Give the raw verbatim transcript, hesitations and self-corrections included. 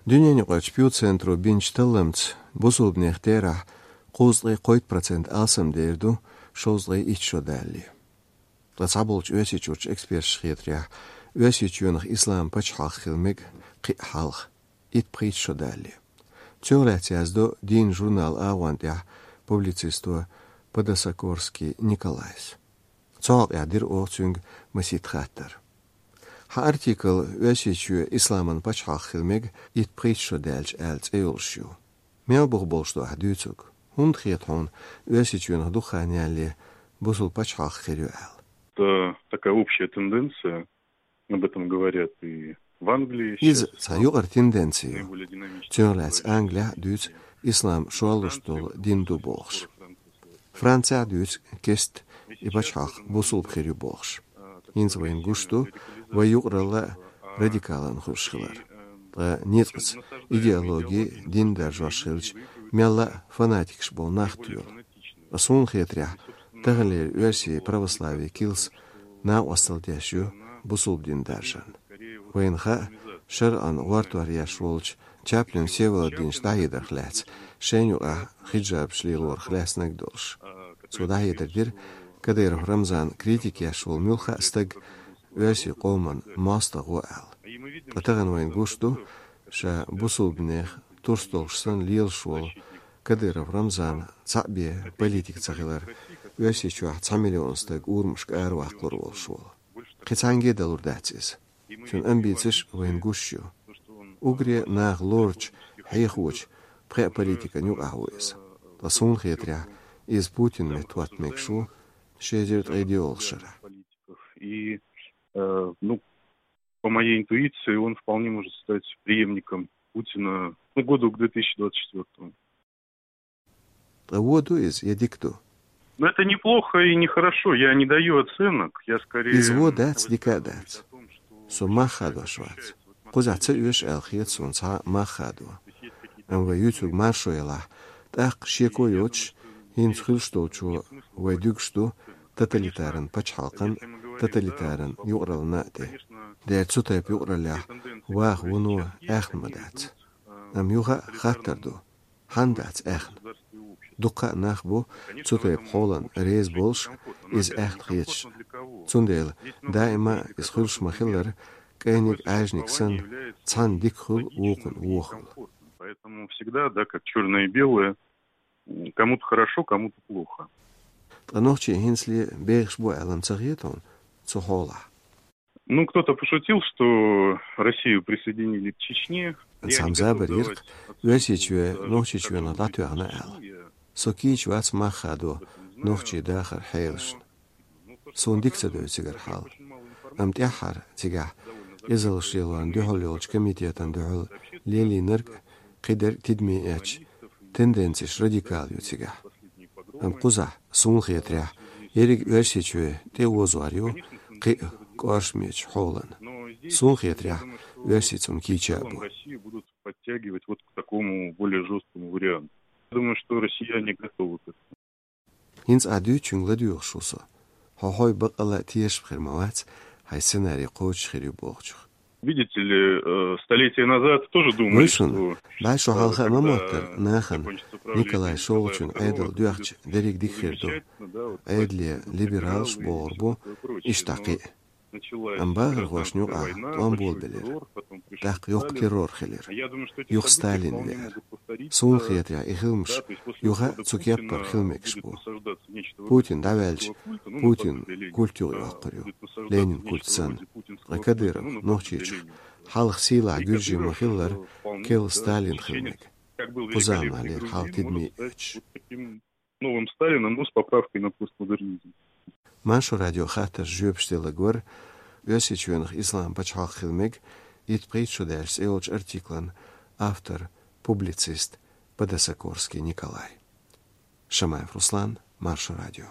Дуьненаюкъарчу Пью центро бинчу талламца бусулбанех терахь кхузткъе кхойтта процент алсамдер ду шовзткъе итт шо далале. Ткъа цхьаболчу Оьрсийчуьрчу эксперташа хетарехь, Оьрсийчоьнах ислам пачхьалкх хила мега кхин а хьалха, итт-пхийтта шо далале. Цунах лаьцна яздо дийнан журнал агӀон тӀехь публицисто Подосокорский Николайс. Цу хьокъехь дира оха цуьнга масийтта хаттар. Хьан артикл «Оьрсийчоь исламан пачхьалкх хила мега итт-пхийтта шо даьлча» аьлла цӀе йолуш ю. Мел бух болуш ду ахь дуьйцург? ХӀунда хета хьуна Оьрсийчоьнах дукха хан ялале бусулба пачхьалкх хир ю аьлла? Это такая общая тенденция. Об этом говорят и в Англии. Иза сейчас цхьа юкъара тенденци ю. Цунах лаьцна Англехь а дуьйцу ислам шорлуш долу дин ду бохуш. Францехь а дуьйцу кеста и пачхьалкх бусулба хир ю бохуш. ХӀинца вайна гуш ду вай юкъаралла радикалан хуьлуш хилар. Ткъа ницкъаца идеологи, дин даржош хилча, мелла а фанатикаш болу нах тоьлу. Ткъа суна хетарехь, таханлера оьрсийн православин килс накъосталла деш ю бусулба дин даржарна. Вайна хаьа, шарӀан гӀортор еш волчу Чаплин Всеволодовича дӀахьедарх лаьцна, шайна юкъахь хиджабаш лелорах лаьцнарг долуш. Цо дӀахьедар дира, Кадыров Рамзан критика еш волу муьлхха а стаг оьрсийн къоман мостагӀ ву аьлла. Ткъа тахана вайна гуш ду, ша бусулбанех турс долуш санна лелаш волу Кадыров Рамзан цхьаъ бен политик ца хилар, Оьрсийчохь цхьа миллион стаг урамашка араваккхалур волуш волу. Кхин цхьаьнгге а далур дац иза. Цуьнан амбицеш вайна гуш ю. Уггаре наха лоручу, хьехочу пхеа политикан юкъахь ву иза. Ткъа суна хетарехь, иза Путинан метта хӀотта мегаш ву ши эзар ткъе доьалгӀачу шарахь. И, э, ну, по моей интуиции, он вполне может стать преемником Путина, ну, году к две тысячи двадцать четвёртому. Ткъа вон ду иза, я дика ду? Ну, это неплохо и нехорошо. Я не даю оценок. Я скорее... Иза вон дац, дика а дац. Со мах хадош вац. Кхузахь ца оьшу аьлла хета суна цхьа мах хадо. Амма вай юьйцург маршо ялахь, тӀаккха шеко йоцуш, хӀинца хуьлуш долчо вай дуьгуш ду тоталитаран пачхьалкхан, тоталитаран юкъараллина а тӀе. Дера цу тайпа юкъараллехь ваха вуно аьхна ма дац. Амма юха а хаттар ду. Хьанна дац аьхна? Дуккха а нах бу цу тайпа хьолан реза болуш, иза аьхна хеташ. Цундела даима иза хуьлуш ма-хиллара, кӀайниг-Ӏаьжниг санна, цхьанна дика хуьлу, вукхунна вон хуьлу. Поэтому всегда, да, как чёрное и белое, м, кому-то хорошо, кому-то плохо. Ткъа нохчий хӀинцале бехаш бу аьлла ца хета хьуна цу хьолахь? Ну, кто-то пошутил, что Россию присоединили к Чечне. Цхьамма забар йира-кх, Оьрсийчоь Нохчийчоьнах дӀатоьхна аьлла. Со кийча вац мах хадо нохчийн дахаран хьелашна. Суна дика ца девза цигара хьал. Амма тӀаьххьара цигахь, къизаллаш лелорна дуьхьал йолчу комитетана дуьхьал лелийнарг кхидерг тидаме эцча, тенденцеш радикал ю цигахь. Амма кхузахь, суна хетарехь, ерриг Оьрсийчоь тӀеозор ю кхин а кӀоршамечу хьолана. Суна хетарехь, оьрсий цунна кийча а бу. Россию будут подтягивать вот к такому более жёсткому варианту. Я думаю, что россияне готовы к этому. ХӀинца ахь дуьйцучуьнга ладоьгӀуш ву со. Хьо хьой баккъалла а тешаш хир ма вац, хьайн сценарий кхочуш хир ю бохучух. Видите ли, э, столетия назад тоже думали, что, э, когда закончится правление Николая Второго, всё будет замечательно, да, вот власть, либерализм и всё такое прочее. Но началась гражданская война, большой террор, потом пришли сталинские террор, потом пришли... Амма бахархошна юкъахь тӀом болабелира. ТӀаккха йоккха террор хилира. Юха Сталин веара. Суна хетарехь, и хиламаш юха цу кеппара хила мегаш бу. Путин дӀаваьлча, Путин культ юха йоккхур ю, Ленин культ санна. Ткъа Кадыров Нохчийчух хьалха сийлахь гуьржи ма-хиллара, керла Сталин хила мега. Кху заманахьлера хьал тидаме оьцуш. Новым Сталиным, ну, с поправкой на постмодернизм. Маршо радион хаттаршна жоьпаш делларг вара Оьрсийчоьнах ислам пачхьалкх хила мега итт-пхийтта шо даьлча цӀе йолчу артиклан автор, публицист Подосокорский Николай. Шамаев Руслан, Маршо радио.